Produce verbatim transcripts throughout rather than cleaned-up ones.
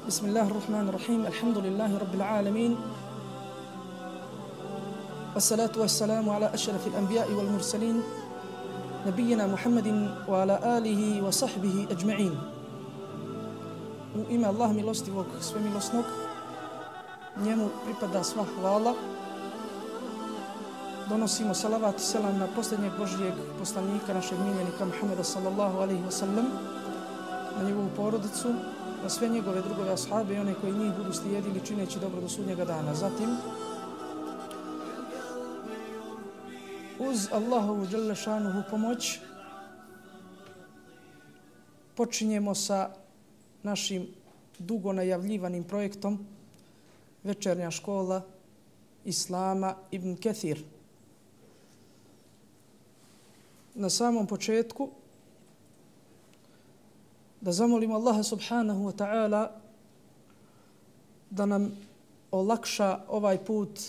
بسم الله الرحمن الرحيم الحمد لله رب العالمين والصلاة والسلام على أشرف الأنبياء والمرسلين نبينا محمد وعلى آله وصحبه أجمعين. U ime Allah milostivog, svemilosnog, njemu pripada sva hvala. Donosimo salavat i selam na posljednjeg Božijeg poslanika, našeg miljenika Muhammeda sallallahu alaihi wa sallam, na njegovu porodicu, na sve njegove drugove ashabe i one koji njih budu slijedili čineći dobro do sudnjega dana. Zatim, uz Allahovu dželle šanuhu pomoć, počinjemo sa našim dugo najavljivanim projektom Večernja škola Islama Ibn Kathir. Na samom početku da zamolimo Allaha subhanahu wa ta'ala da nam olakša ovaj put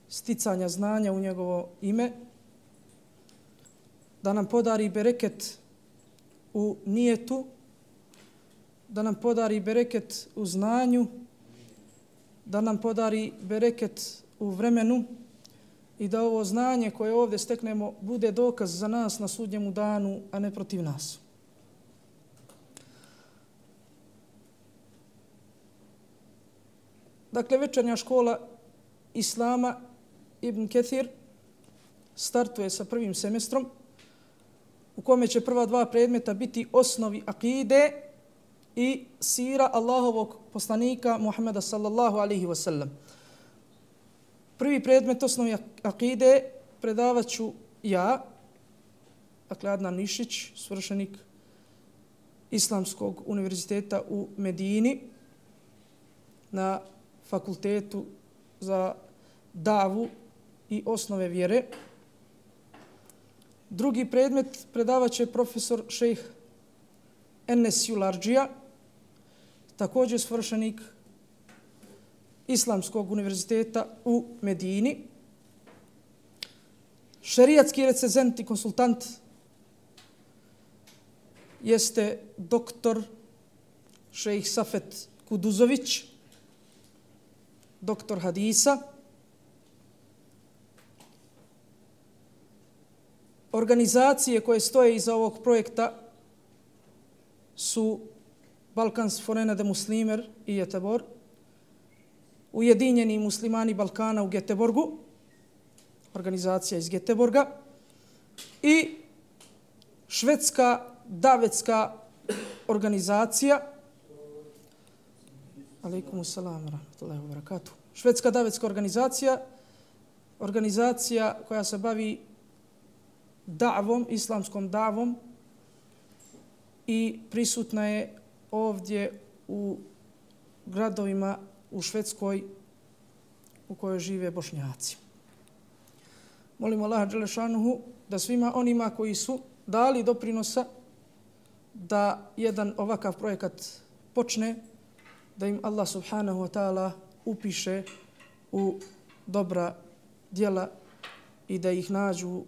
sticanja znanja u njegovo ime, da nam podari bereket u nijetu, da nam podari bereket u znanju, da nam podari bereket u vremenu i da ovo znanje koje ovdje steknemo bude dokaz za nas na sudnjemu danu, a ne protiv nas. Dakle, Večernja škola Islama Ibn Kathir startuje sa prvim semestrom u kome će prva dva predmeta biti osnovi akide i sira Allahovog poslanika Muhammeda sallallahu alaihi wa sallam. Prvi predmet osnovi akide predavat ću ja, dakle Adnan Nišić, svršenik Islamskog univerziteta u Medini na fakultetu za davu i osnove vjere. Drugi predmet predavat će profesor šejh Enes Julardžija, također svršenik Islamskog univerziteta u Medini. Šerijatski recenzent i konsultant jeste doktor šejh Safet Kuduzović, doktor hadisa. Organizacije koje stoje iza ovog projekta su Balkans Forena de Muslimer i Göteborg, Ujedinjeni muslimani Balkana u Göteborgu, organizacija iz Göteborga, i švedska davetska organizacija, alaikum salam rahmatullahi wa barakatuh, švedska davetska organizacija, organizacija koja se bavi davom, islamskom davom i prisutna je ovdje u gradovima u Švedskoj u kojoj žive Bošnjaci. Molimo Allaha dželle šanuhu da svima onima koji su dali doprinosa da jedan ovakav projekat počne, da im Allah subhanahu wa ta'ala upiše u dobra djela i da ih nađu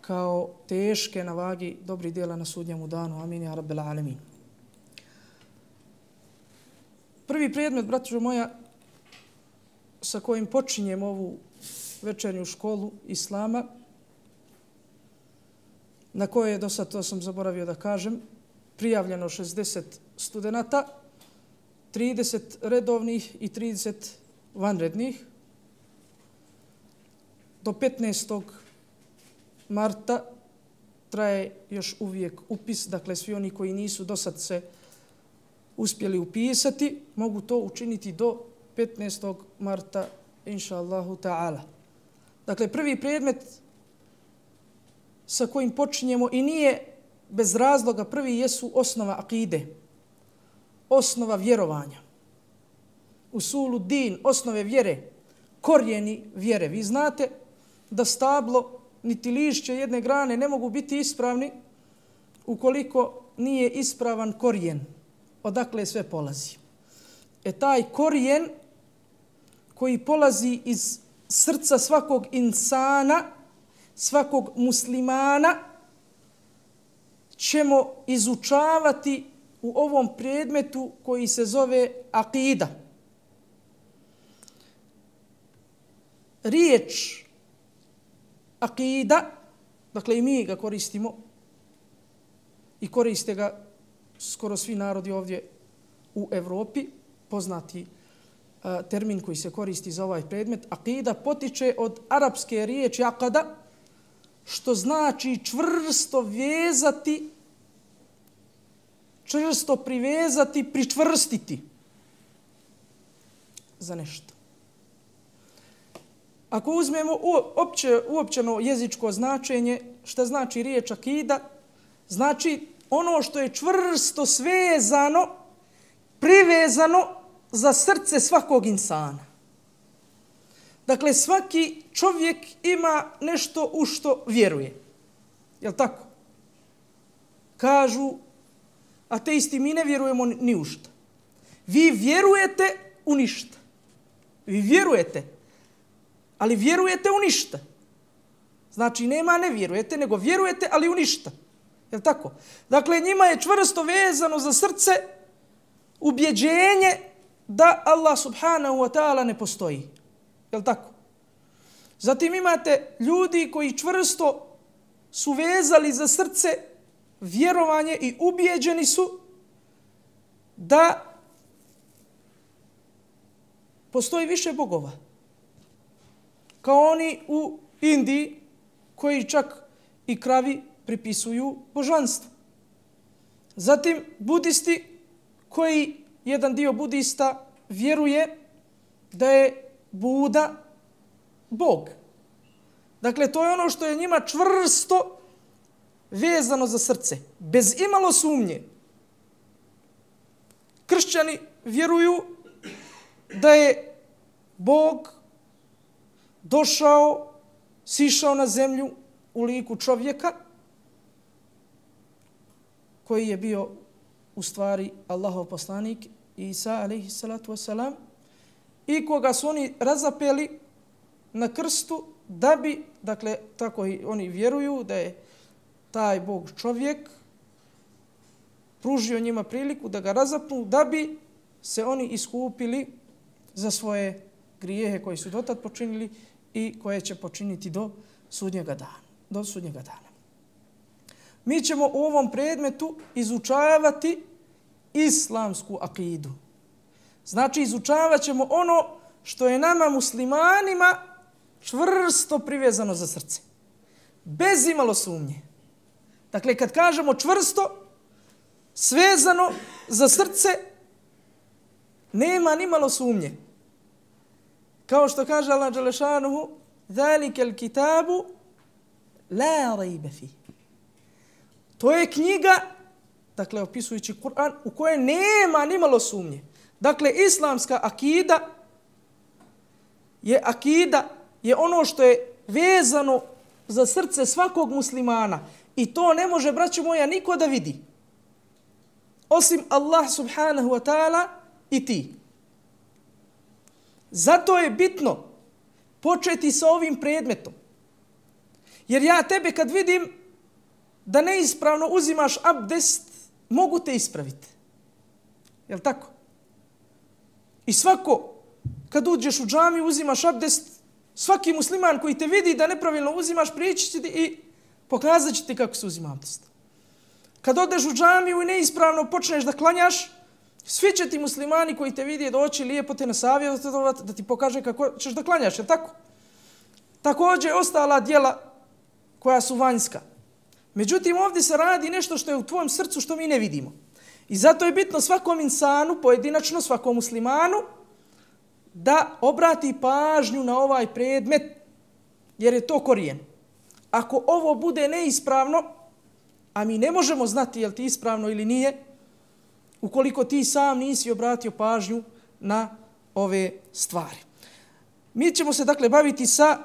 kao teške na vagi dobri djela na sudnjemu danu. Amin ja rabbel alamin. Prvi predmet, braćo moja, sa kojim počinjem ovu večernju školu Islama, na koje je do sad, to sam zaboravio da kažem, prijavljeno šezdeset studenata, trideset redovnih i trideset vanrednih. Do petnaestog marta traje još uvijek upis, dakle svi oni koji nisu do sad se uspjeli upisati, mogu to učiniti do petnaestog marta, inša Allahu ta'ala. Dakle, prvi predmet sa kojim počinjemo i nije bez razloga prvi jesu osnova akide, osnova vjerovanja. Usulu din, osnove vjere, korijeni vjere. Vi znate da stablo niti lišće jedne grane ne mogu biti ispravni ukoliko nije ispravan korijen. Odakle sve polazi. E taj korijen koji polazi iz srca svakog insana, svakog muslimana, ćemo izučavati u ovom predmetu koji se zove akida. Riječ akida, dakle i mi ga koristimo i koriste ga skoro svi narodi ovdje u Evropi, poznati a, termin koji se koristi za ovaj predmet, akida potiče od arapske riječi akada, što znači čvrsto vezati, čvrsto privezati, pričvrstiti za nešto. Ako uzmemo uopće, uopćeno jezičko značenje, šta znači riječ akida, znači ono što je čvrsto svezano, privezano za srce svakog insana. Dakle, svaki čovjek ima nešto u što vjeruje. Jel tako? Kažu ateisti, mi ne vjerujemo ni u šta. Vi vjerujete u ništa. Vi vjerujete, ali vjerujete u ništa. Znači, nema ne vjerujete, nego vjerujete, ali u ništa. Jel tako? Dakle, njima je čvrsto vezano za srce ubjeđenje da Allah subhanahu wa ta'ala ne postoji. Jel tako? Zatim imate ljudi koji čvrsto su vezali za srce vjerovanje i ubijeđeni su da postoji više bogova. Kao oni u Indiji koji čak i kravi pripisuju božanstvo. Zatim budisti koji jedan dio budista vjeruje da je Buda Bog. Dakle, to je ono što je njima čvrsto vezano za srce, bez imalo sumnje. Kršćani vjeruju da je Bog došao, sišao na zemlju u liku čovjeka koji je bio u stvari Allahov poslanik Isa alejhi salatu vesselam i koga su oni razapeli na krstu da bi, dakle, tako i oni vjeruju da je taj Bog čovjek pružio njima priliku da ga razapnu da bi se oni iskupili za svoje grijehe koji su dotad počinili i koje će počiniti do sudnjega dana. Do sudnjega dana. Mi ćemo u ovom predmetu izučavati islamsku akidu. Znači, izučavat ćemo ono što je nama muslimanima čvrsto privezano za srce. Bez imalo sumnje. Dakle, kad kažemo čvrsto, svezano za srce, nema ni malo sumnje. Kao što kaže Allah dželešanuhu, ذَلِكَ الْكِتَابُ لَا رَيْبَ فِيهِ. To je knjiga, dakle, opisujući Kur'an, u kojoj nema ni malo sumnje. Dakle, islamska akida je akida, je ono što je vezano za srce svakog muslimana. I to ne može, braćo moja, niko da vidi. Osim Allah subhanahu wa ta'ala i ti. Zato je bitno početi sa ovim predmetom. Jer ja tebe kad vidim da neispravno uzimaš abdest, mogu te ispraviti. Jel' tako? I svako, kad uđeš u džamiju, uzimaš abdest, svaki musliman koji te vidi da nepravilno uzimaš, prijeći će ti i pokazat će ti kako se uzima abdest. Kad odeš u džamiju i neispravno počneš da klanjaš, svi će ti muslimani koji te vidi doći lijepo te nasavjetovati da ti pokaže kako ćeš da klanjaš, je tako? Također ostala djela koja su vanjska. Međutim, ovdje se radi nešto što je u tvojem srcu što mi ne vidimo. I zato je bitno svakom insanu, pojedinačno svakom muslimanu, da obrati pažnju na ovaj predmet, jer je to korijen. Ako ovo bude neispravno, a mi ne možemo znati je li ti ispravno ili nije, ukoliko ti sam nisi obratio pažnju na ove stvari. Mi ćemo se dakle baviti sa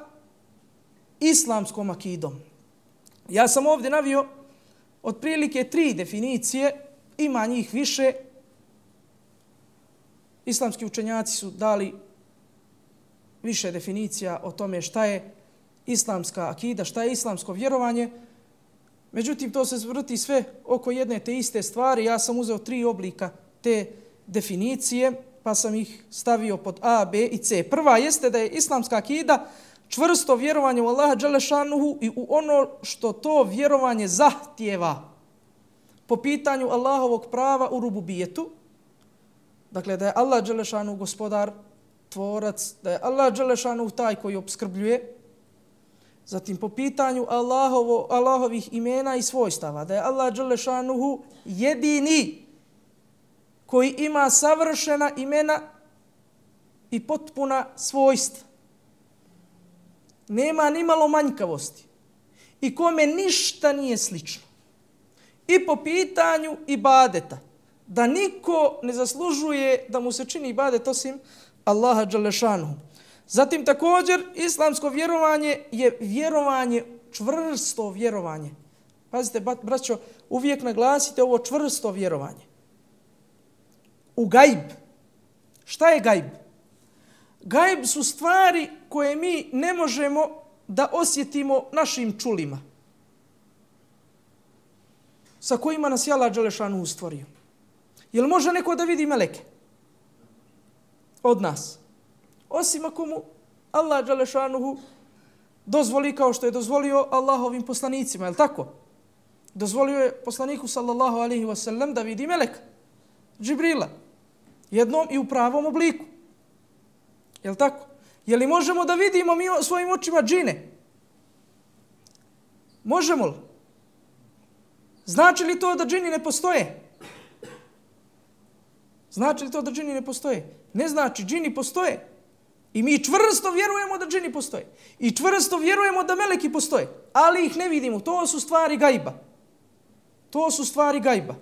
islamskom akidom. Ja sam ovdje navio otprilike tri definicije, ima njih više. Islamski učenjaci su dali više definicija o tome šta je islamska akida, šta je islamsko vjerovanje. Međutim, to se vrti sve oko jedne te iste stvari. Ja sam uzeo tri oblika te definicije, pa sam ih stavio pod A, B i C. Prva jeste da je islamska akida čvrsto vjerovanje u Allaha dželle šanuhu i u ono što to vjerovanje zahtijeva po pitanju Allahovog prava u rububijetu. Dakle, da je Allah dželle šanuhu gospodar, tvorac, da je Allah dželle šanuhu taj koji opskrbljuje. Zatim po pitanju Allahovo, Allahovih imena i svojstava, da je Allah dželle šanuhu jedini koji ima savršena imena i potpuna svojstva. Nema ni malo manjkavosti i kome ništa nije slično. I po pitanju ibadeta, da niko ne zaslužuje da mu se čini ibadet osim Allaha dželle šanuhu. Zatim također islamsko vjerovanje je vjerovanje, čvrsto vjerovanje. Pazite, braćo, uvijek naglasite ovo čvrsto vjerovanje. U gajb. Šta je gajb? Gajb su stvari koje mi ne možemo da osjetimo našim čulima, sa kojima nas je Allah dželle šanuhu stvorio. Jel može neko da vidi meleke od nas? Osim ako mu Allah dželle šanuhu dozvoli, kao što je dozvolio Allahovim poslanicima, je li tako? Dozvolio je poslaniku sallallahu alaihi wa sallam da vidi meleka, Džibrila, jednom i u pravom obliku. Je li tako? Je li možemo da vidimo mi svojim očima džine? Možemo li? Znači li to da džini ne postoje? Znači li to da džini ne postoje? Ne znači, džini postoje. I mi čvrsto vjerujemo da džini postoje. I čvrsto vjerujemo da meleki postoje. Ali ih ne vidimo. To su stvari gajba. To su stvari gajba.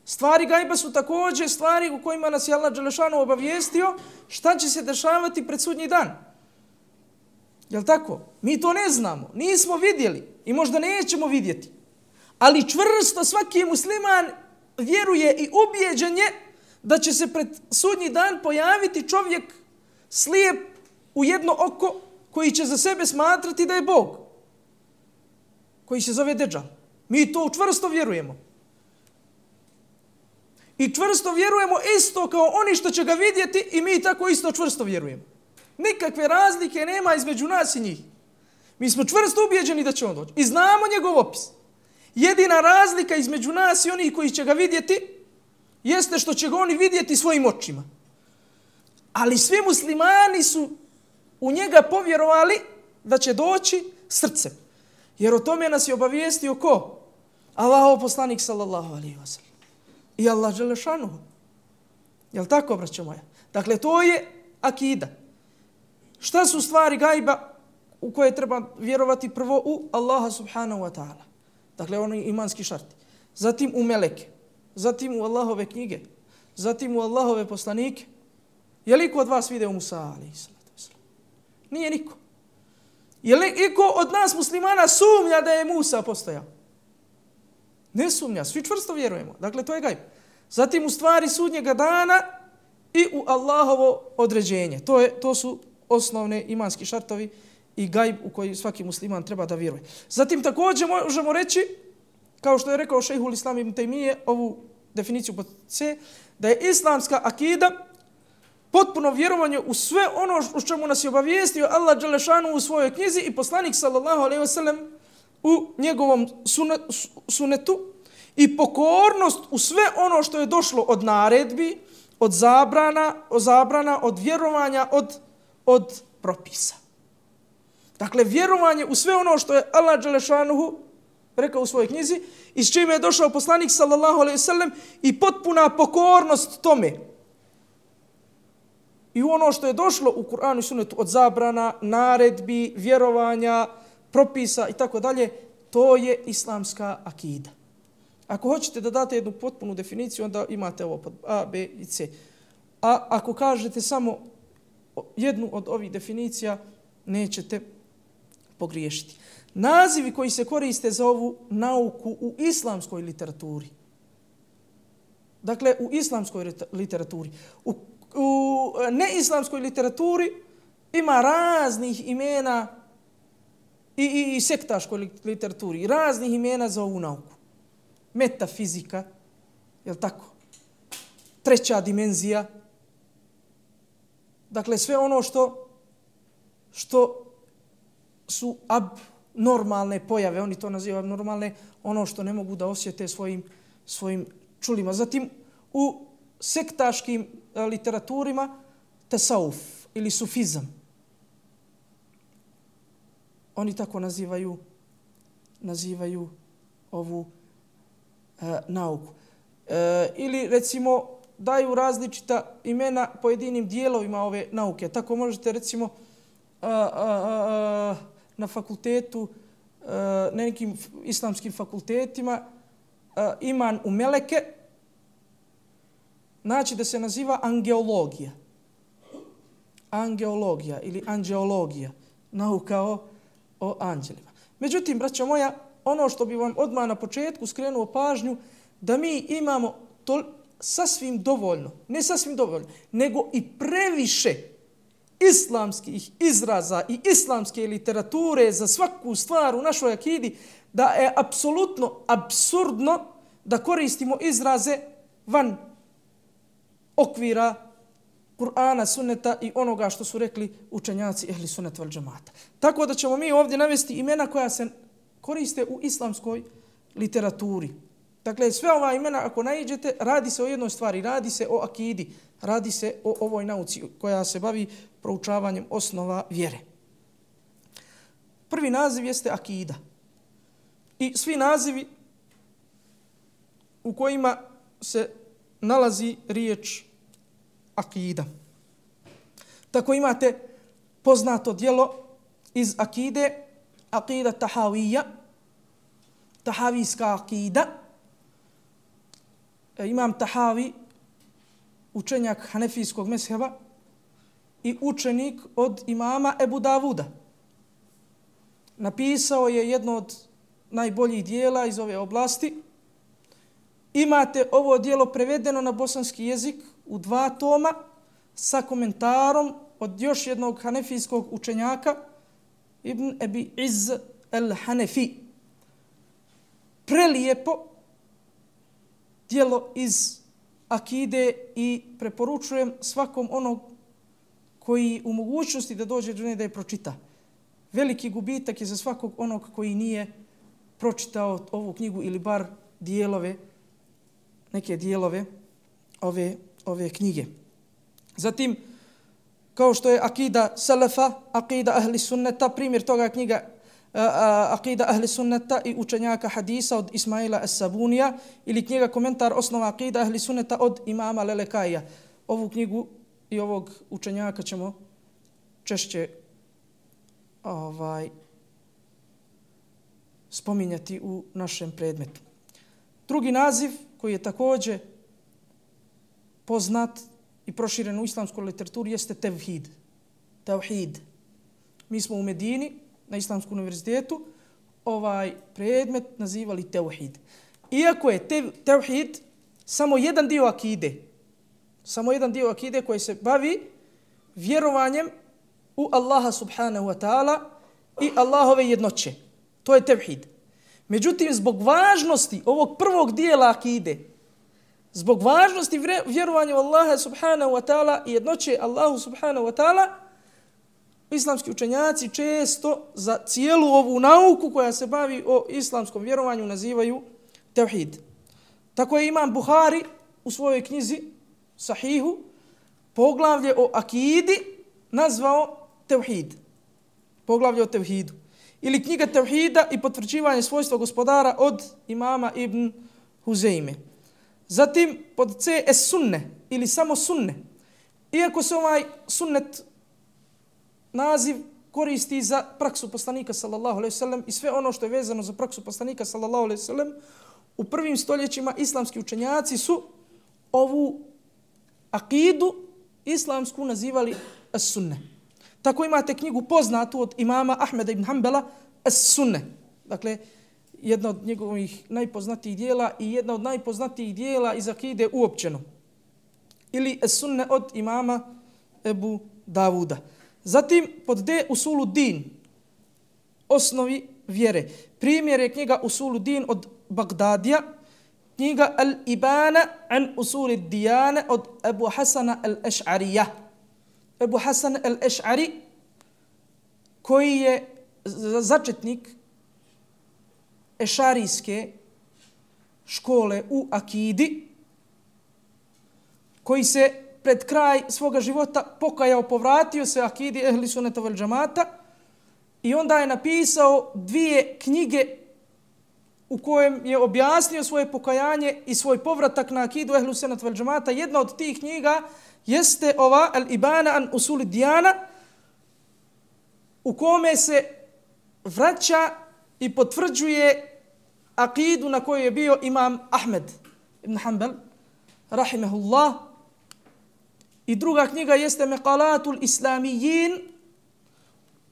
Stvari gajba su također stvari u kojima nas je Allah dželle šanuhu obavijestio šta će se dešavati pred sudnji dan. Jel' tako? Mi to ne znamo. Nismo vidjeli i možda nećemo vidjeti. Ali čvrsto svaki musliman vjeruje i ubijeđen je da će se pred sudnji dan pojaviti čovjek slijep u jedno oko koji će za sebe smatrati da je Bog, koji se zove Deđal. Mi to čvrsto vjerujemo. I čvrsto vjerujemo isto kao oni što će ga vidjeti i mi tako isto čvrsto vjerujemo. Nikakve razlike nema između nas i njih. Mi smo čvrsto ubijeđeni da će on doći. I znamo njegov opis. Jedina razlika između nas i onih koji će ga vidjeti jeste što će ga oni vidjeti svojim očima. Ali svi muslimani su u njega povjerovali da će doći srcem. Jer o tome nas je obavijestio ko? Allahov poslanik sallallahu alejhi ve sellem. I Allah dželle šanuhu. Jel' tako, braćo moja? Dakle, to je akida. Šta su stvari gajba u koje treba vjerovati? Prvo u Allaha subhanahu wa ta'ala. Dakle, oni imanski šarti. Zatim u meleke. Zatim u Allahove knjige. Zatim u Allahove poslanike. Je li iko od vas vidio Musa alejhi salatu vesselam? Nije niko. Je li iko od nas muslimana sumnja da je Musa postojao? Ne sumnja, svi čvrsto vjerujemo. Dakle, to je gajb. Zatim u stvari sudnjega dana i u Allahovo određenje. To, je, to su osnovne imanski šartovi i gajb u koji svaki musliman treba da vjeruje. Zatim također možemo reći, kao što je rekao šejhul Islam ibn Tejmije, ovu definiciju pod C, da je islamska akida potpuno vjerovanje u sve ono u čemu nas je obavijestio Allah dželle šanuhu u svojoj knjizi i poslanik sallallahu alejhi ve sellem u njegovom sunetu i pokornost u sve ono što je došlo od naredbi, od zabrana, od zabrana, od vjerovanja, od, od propisa. Dakle, vjerovanje u sve ono što je Allah dželle šanuhu rekao u svojoj knjizi i s čime je došao poslanik sallallahu alejhi ve sellem i potpuna pokornost tome. I ono što je došlo u Kur'anu i Sunnetu od zabrana, naredbi, vjerovanja, propisa i tako dalje, to je islamska akida. Ako hoćete da date jednu potpunu definiciju, onda imate ovo pod A, B i C. A ako kažete samo jednu od ovih definicija, nećete pogriješiti. Nazivi koji se koriste za ovu nauku u islamskoj literaturi. Dakle, u islamskoj literaturi. U, u neislamskoj literaturi ima raznih imena i, i, i sektaškoj literaturi, raznih imena za ovu nauku. Metafizika, je li tako? Treća dimenzija. Dakle, sve ono što, što su abnormalne pojave, oni to nazivaju abnormalne, ono što ne mogu da osjete svojim, svojim čulima. Zatim, u sektaškim literaturima, tesauf ili sufizam. Oni tako nazivaju, nazivaju ovu e, nauku. E, ili, recimo, daju različita imena pojedinim dijelovima ove nauke. Tako možete, recimo, a, a, a, na fakultetu, a, na nekim islamskim fakultetima, a, iman u meleke, znači da se naziva angeologija. Angeologija ili anđeologija, nauka o, o anđelima. Međutim, braćo moja, ono što bi vam odmah na početku skrenuo pažnju, da mi imamo to sasvim dovoljno, ne sasvim dovoljno, nego i previše islamskih izraza i islamske literature za svaku stvar u našoj akidi, da je apsolutno apsurdno da koristimo izraze van okvira Kur'ana, sunneta i onoga što su rekli učenjaci ehli sunneta vel džemata. Tako da ćemo mi ovdje navesti imena koja se koriste u islamskoj literaturi. Dakle, sve ova imena, ako naiđete, radi se o jednoj stvari, radi se o akidi, radi se o ovoj nauci koja se bavi proučavanjem osnova vjere. Prvi naziv jeste akida. I svi nazivi u kojima se nalazi riječ akida. Tako imate poznato djelo iz akide, akida tahawija, tahavijska akida. Imam Tahavi, učenjak hanefijskog mezheba i učenik od imama Ebu Davuda. Napisao je jedno od najboljih dijela iz ove oblasti. Imate ovo dijelo prevedeno na bosanski jezik u dva toma sa komentarom od još jednog hanefijskog učenjaka, Ibn Ebi Iz el-Hanefi. Prelijepo dijelo iz akide i preporučujem svakom onog koji u mogućnosti da dođe do nje da je pročita. Veliki gubitak je za svakog onog koji nije pročitao ovu knjigu ili bar dijelove, neke dijelove ove, ove knjige. Zatim, kao što je akida Salafa, akida ahli sunneta, primjer toga je knjiga akida ahli sunneta i učenjaka hadisa od Ismaila Es-Sabunija ili knjiga komentar osnova akida ahli sunneta od imama Lelekaija. Ovu knjigu i ovog učenjaka ćemo češće ovaj, spominjati u našem predmetu. Drugi naziv koji je također poznat i proširen u islamskoj literaturi jeste tevhid. Tevhid. Mi smo u Medini na Islamskom univerzitetu ovaj predmet nazivali tevhid. Iako je te, tevhid samo jedan dio akide, samo jedan dio akide koji se bavi vjerovanjem u Allaha subhanahu wa ta'ala i Allahove jednoće. To je tevhid. Međutim, zbog važnosti ovog prvog dijela akide, zbog važnosti vjerovanja u Allaha subhanahu wa ta'ala i jednoće Allahu subhanahu wa ta'ala, islamski učenjaci često za cijelu ovu nauku koja se bavi o islamskom vjerovanju nazivaju tevhid. Tako je imam Buhari u svojoj knjizi Sahihu poglavlje o akidi nazvao tevhid. Poglavlje o tevhidu. Ili knjiga tevhida i potvrđivanje svojstva gospodara od imama Ibn Huzeyme. Zatim pod C es sunne ili samo sunne. Iako se ovaj sunnet naziv koristi za praksu poslanika sallallahu alejhi ve sellem i sve ono što je vezano za praksu poslanika sallallahu alejhi ve sellem, u prvim stoljećima islamski učenjaci su ovu akidu islamsku nazivali as-sunne. Tako imate knjigu poznatu od imama Ahmeda ibn Hanbala as-sunne. Dakle, jedna od njegovih najpoznatijih dijela i jedna od najpoznatijih dijela iz akide uopćeno. Ili as-sunne od imama Ebu Davuda. Zatim pod D usulu din. osnovi vjere. Primjer je knjiga Usuluddin od Bagdadija, knjiga Al-Ibana an Usuli Dijane od Ebu Hasana al-Eš'arija. Ebu Hasan al-Eš'ari, koji je začetnik ešarijske škole u akidi, koji se pred kraj svoga života pokajao, povratio se akidi ehli sunneta vel džamata i onda je napisao dvije knjige u kojem je objasnio svoje pokajanje i svoj povratak na akidu ehli sunneta vel džamata. Jedna od tih knjiga jeste ova Al-Ibana an Usuli Dijana, u kome se vraća i potvrđuje akidu na kojoj je bio imam Ahmed ibn Hanbal, rahimehullah. I druga knjiga jeste Meqalatul Islamijin,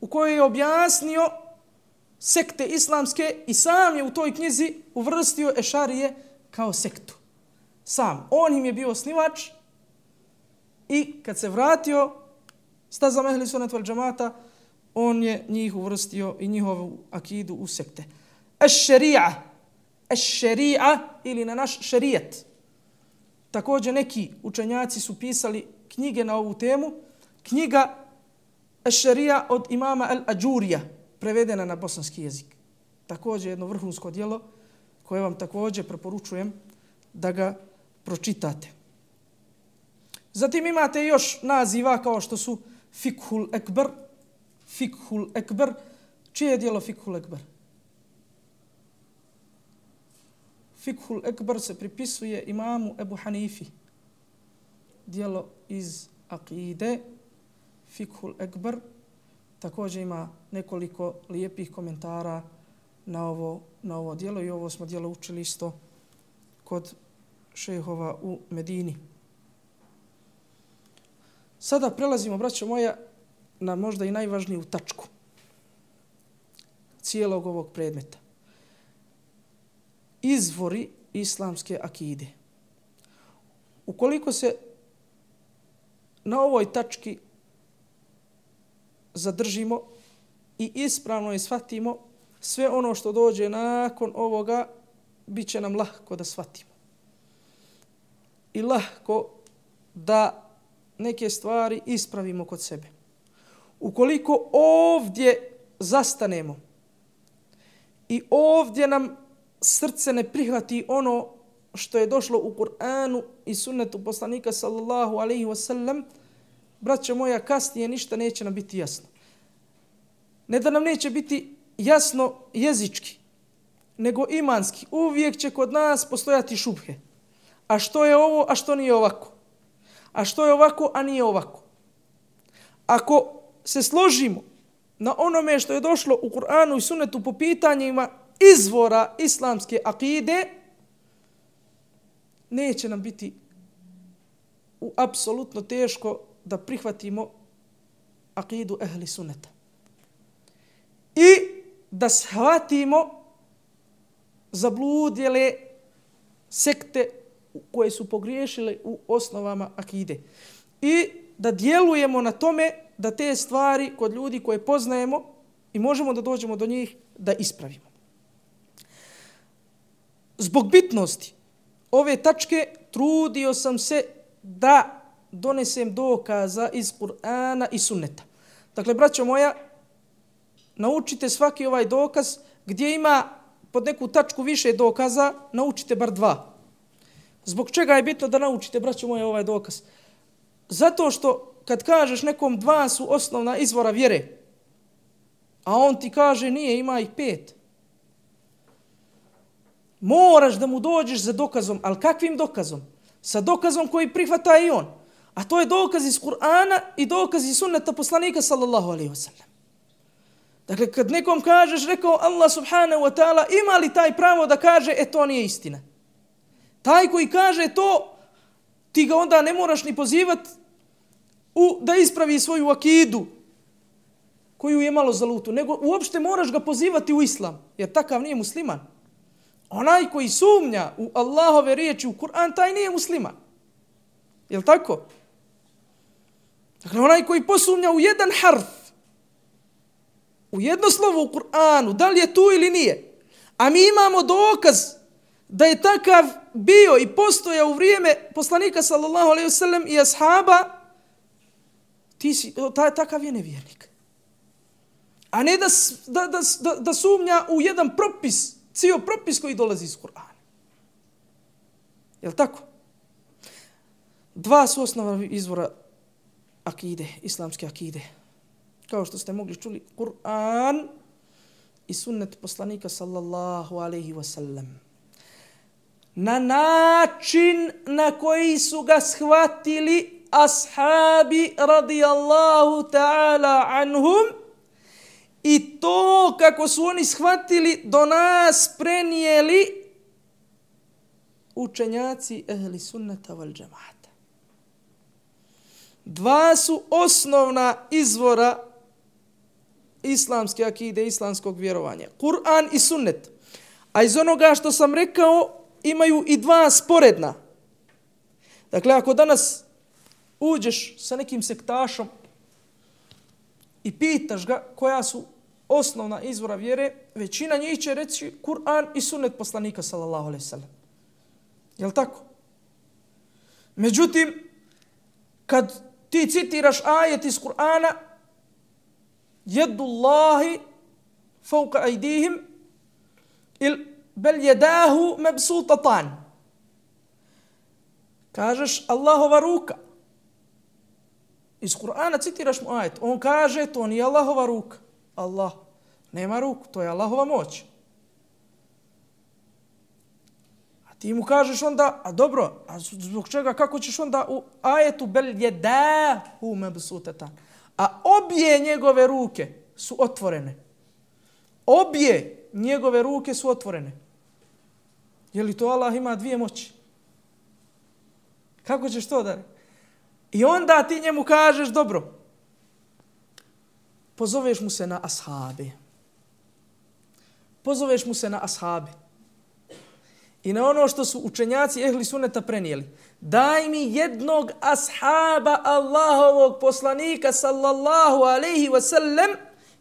u kojoj je objasnio sekte islamske i sam je u toj knjizi uvrstio ešarije kao sektu. Sam. On im je bio osnivač i kad se vratio stazama ehli sunnet vel džamata, on je njih uvrstio i njihovu akidu u sekte. Eš-šerija, eš-šerija ili na naš šerijet. Također neki učenjaci su pisali knjige na ovu temu. Knjiga Eš-šerija od imama Al-Ađurija, prevedena na bosanski jezik. Također jedno vrhunsko djelo koje vam također preporučujem da ga pročitate. Zatim imate još naziva kao što su Fikhul Ekber. Fikhul Ekber. Čije je djelo Fikhul Ekber? Fikhul Ekber se pripisuje imamu Ebu Hanifi. Djelo iz akide. Fikhul Ekber također ima nekoliko lijepih komentara na ovo, na ovo djelo i ovo smo djelo učili isto kod šejhova u Medini. Sada prelazimo, braćo moja, na možda i najvažniju tačku cijelog ovog predmeta. Izvori islamske akide. Ukoliko se na ovoj tački zadržimo i ispravno je shvatimo, sve ono što dođe nakon ovoga bit će nam lahko da shvatimo. I lahko da neke stvari ispravimo kod sebe. Ukoliko ovdje zastanemo i ovdje nam srce ne prihvati ono što je došlo u Kur'anu i sunnetu poslanika sallallahu alaihi wasallam, braćo moja, kasnije ništa neće nam biti jasno. Ne da nam neće biti jasno jezički, nego imanski. Uvijek će kod nas postojati šubhe. A što je ovo, a što nije ovako? A što je ovako, a nije ovako? Ako se složimo na onome što je došlo u Kur'anu i sunnetu po pitanjima izvora islamske akide, neće nam biti u apsolutno teško da prihvatimo akidu ehli sunneta. I da shvatimo zabludjele sekte koje su pogriješile u osnovama akide. I da djelujemo na tome da te stvari kod ljudi koje poznajemo i možemo da dođemo do njih, da ispravimo. Zbog bitnosti ove tačke trudio sam se da donesem dokaza iz Kur'ana i sunneta. Dakle, braćo moja, naučite svaki ovaj dokaz, gdje ima pod neku tačku više dokaza, naučite bar dva. Zbog čega je bitno da naučite, braćo moja, ovaj dokaz? Zato što kad kažeš nekom dva su osnovna izvora vjere, a on ti kaže nije, ima ih pet, moraš da mu dođeš za dokazom, ali kakvim dokazom? Sa dokazom koji prihvata i on. A to je dokaz iz Kur'ana i dokaz iz sunneta poslanika sallallahu alaihi wasallam. Dakle, kad nekom kažeš, rekao Allah subhanahu wa ta'ala, ima li taj pravo da kaže, e to nije istina? Taj koji kaže to, ti ga onda ne moraš ni pozivati u, da ispravi svoju akidu koju je malo zalutu, nego uopšte moraš ga pozivati u islam, jer takav nije musliman. Onaj koji sumnja u Allahove riječi, u Kur'an, taj nije musliman. Jel' tako? Dakle, onaj koji posumnja u jedan harf u jedno slovo u Kur'anu, da li je tu ili nije, a mi imamo dokaz da je takav bio i postojao u vrijeme poslanika sallallahu alejhi ve sellem i ashaba, ti si, taj, takav je nevjernik. A ne da, da, da, da sumnja u jedan propis, cijel propis koji dolazi iz Kur'ana. Jel tako? Dva su osnova izvora akide, islamske akide. Kao što ste mogli čuli, Kur'an i sunnet poslanika sallallahu alejhi ve sellem. Na način na koji su ga shvatili ashabi radijallahu ta'ala anhum i to kako su oni shvatili do nas prenijeli učenjaci ehli sunnata wal džemata. Dva su osnovna izvora islamske akide, islamskog vjerovanja. Kur'an i sunnet. A iz onoga što sam rekao imaju i dva sporedna. Dakle, ako danas uđeš sa nekim sektašom i pitaš ga koja su osnovna izvora vjere, većina njih će reći Kur'an i sunnet poslanika sallallahu alejhi ve sellem. Jel tako? Međutim, kad ti citiraš ajet iz Kur'ana, jedullahi fauka ajdihim il bel jedahu mebsutatan. Kažeš Allahova ruka. Iz Kur'ana citiraš mu ajet. On kaže to nije Allahova ruka. Allah nema ruku, to je Allahova moć. A ti mu kažeš onda, a dobro, a zbog čega, kako ćeš onda u ajetu bel jedahu mebsutatan. A obje njegove ruke su otvorene. Obje njegove ruke su otvorene. Je li to Allah ima dvije moći? Kako ćeš to da? I onda ti njemu kažeš, dobro, pozoveš mu se na ashabe. Pozoveš mu se na ashabe. I na ono što su učenjaci ehli sunneta prenijeli. Daj mi jednog ashaba Allahovog poslanika sallallahu alejhi ve sellem,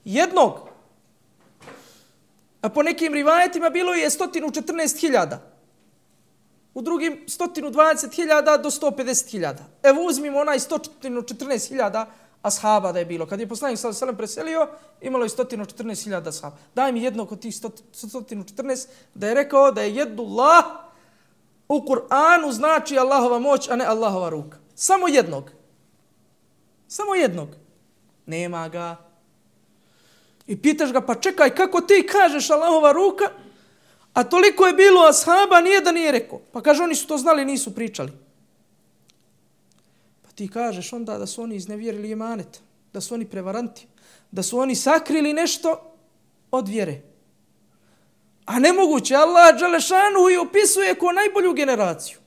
jednog. A po nekim rivajetima bilo je sto četrnaest hiljada. U drugim sto dvadeset hiljada do sto pedeset hiljada. Evo uzmimo onaj sto četrnaest hiljada ashaba da je bilo. Kad je poslanik sallallahu alejhi ve sellem preselio, imalo je sto četrnaest hiljada ashaba. Daj mi jednog od tih sto četrnaest da je rekao da je jedullah u Kur'anu znači Allahova moć, a ne Allahova ruka. Samo jednog. Samo jednog. Nema ga. I pitaš ga, pa čekaj, kako ti kažeš Allahova ruka, a toliko je bilo ashaba, nijedan nije rekao. Pa kaže, oni su to znali, nisu pričali. Pa ti kažeš onda da su oni iznevjerili imanet, da su oni prevaranti, da su oni sakrili nešto od vjere. A nemoguće, Allah dželešanu i opisuje ko najbolju generaciju.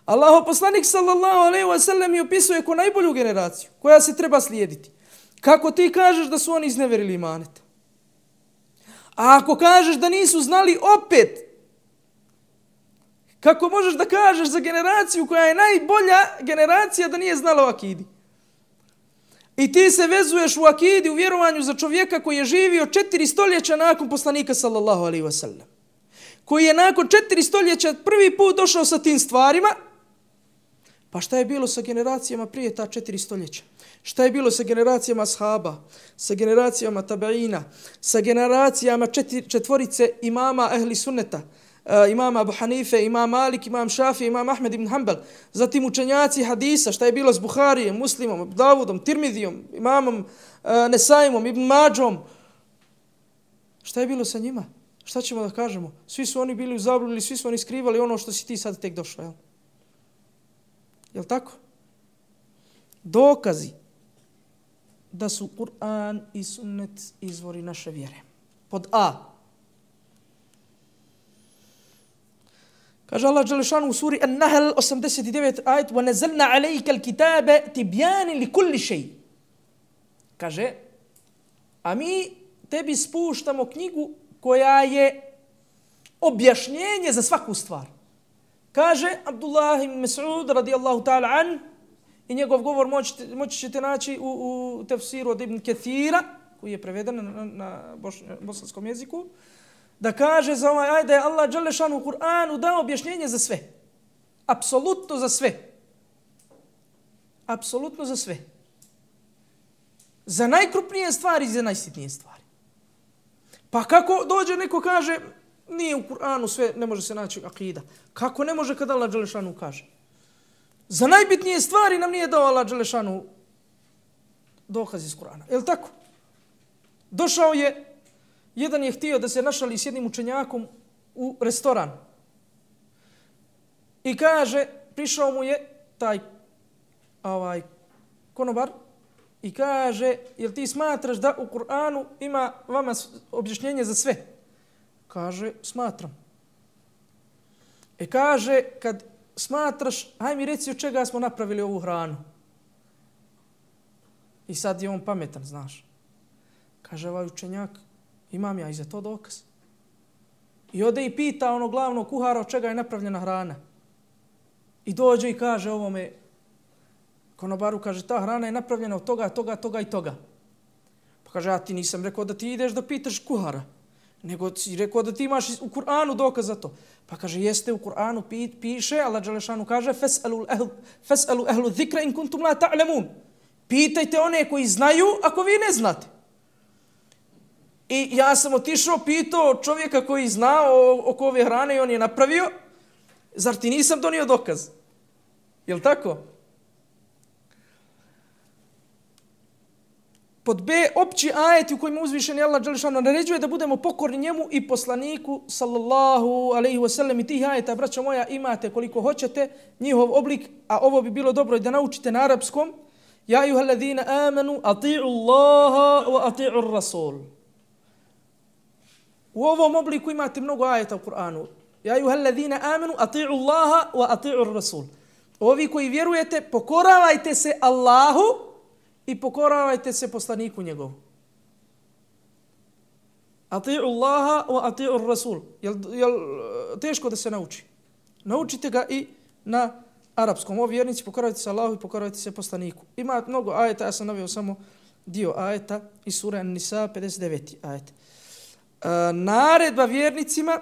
Allahov poslanik sallallahu alejhi ve sellem je opisuje ko najbolju generaciju, koja se treba slijediti. Kako ti kažeš da su oni iznevjerili imanet? A ako kažeš da nisu znali opet, kako možeš da kažeš za generaciju koja je najbolja generacija da nije znala o akidi? I ti se vezuješ u akidi, u vjerovanju za čovjeka koji je živio četiri stoljeća nakon poslanika sallallahu alejhi ve sellem. Koji je nakon četiri stoljeća prvi put došao sa tim stvarima. Pa šta je bilo sa generacijama prije ta četiri stoljeća? Šta je bilo sa generacijama ashaba, sa generacijama tabeina, sa generacijama četiri, četvorice imama ehli sunneta, uh, imama Abu Hanife, imam Malik, imam Šafi, imam Ahmed ibn Hanbal, zatim učenjaci hadisa, šta je bilo s Buharijem, Muslimom, Davudom, Tirmidijom, imamom uh, Nesaimom, Ibn Mađom. Šta je bilo sa njima? Šta ćemo da kažemo? Svi su oni bili u zabludi, svi su oni skrivali ono što si ti sad tek došao. Jel, jel tako? Dokazi da su Kur'an i sunnet izvori naše vjere. Pod A. Kaže Allah dželešanu u suri An-Nahl osamdeset devet ajet وَنَزَلْنَا عَلَيْكَ الْكِتَابَ تِبْيَانٍ لِكُلِّ شَيْءٍ. Kaže, a mi tebi spuštamo knjigu koja je objašnjenje za svaku stvar. Kaže Abdullah ibn Mas'ud radijallahu ta'ala an, i njegov govor moći, moći ćete naći u, u tefsiru od Ibn Kathira, koji je preveden na, na bosanskom jeziku, da kaže za ovaj ajet da je Allah dželle šanu u Kur'anu dao objašnjenje za sve. Apsolutno za sve. Apsolutno za sve. Za najkrupnije stvari i za najsitnije stvari. Pa kako dođe neko kaže nije u Kur'anu sve, ne može se naći akida. Kako ne može kada Allah dželle šanu kaže? Za najbitnije stvari nam nije dao Allah dželle šanu dokaz iz Kur'ana. Je li tako? Došao je, jedan je htio da se našali s jednim učenjakom u restoran. I kaže, prišao mu je taj ovaj, konobar i kaže, jel ti smatraš da u Kur'anu ima vama objašnjenje za sve? Kaže, smatram. E kaže, kad smatraš, haj mi reci od čega smo napravili ovu hranu. I sad je on pametan, znaš. Kaže ovaj učenjak, imam ja i za to dokaz. I ode i pita ono glavnog kuhara od čega je napravljena hrana. I dođe i kaže ovome konobaru, kaže ta hrana je napravljena od toga, toga, toga i toga. Pa kaže, ja ti nisam rekao da ti ideš da pitaš kuhara, nego si rekao da ti imaš u Kur'anu dokaz za to. Pa kaže, jeste u Kur'anu piše, Allah dželle šanu kaže, fes'alu ehlu, fes'alu ehlu zikra in kuntum la ta'lamun. Pitajte one koji znaju ako vi ne znate. I ja sam otišao, pitao čovjeka koji zna oko ove hrane i on je napravio, zar ti nisam donio dokaz? Je li tako? Pod B, opći ajeti u kojima uzvišeni Allah dželle šanu naređuje da budemo pokorni njemu i poslaniku sallallahu alejhi ve sellem. I tih ajeta, braćo moja, imate koliko hoćete, njihov oblik, a ovo bi bilo dobro da naučite na arapskom. Ja ejuhellazina amanu ati'u Allaha wa ati'u Rasul. U ovom obliku imate mnogo ajeta u Kur'anu. Ja ejuhellazina amanu ati'u Allaha wa ati'u Rasul. Ovi koji vjerujete, pokoravajte se Allahu i pokoravajte se poslaniku njegovu. Ati'u Allaha wa ati'u Rasul. Jel, jel teško da se nauči? Naučite ga i na arapskom. Ovi vjernici, pokoravajte se Allahu i pokoravajte se poslaniku. Ima mnogo ajeta, ja sam naveo samo dio ajeta iz sure An-Nisa, pedeset deveti ajet. E, naredba vjernicima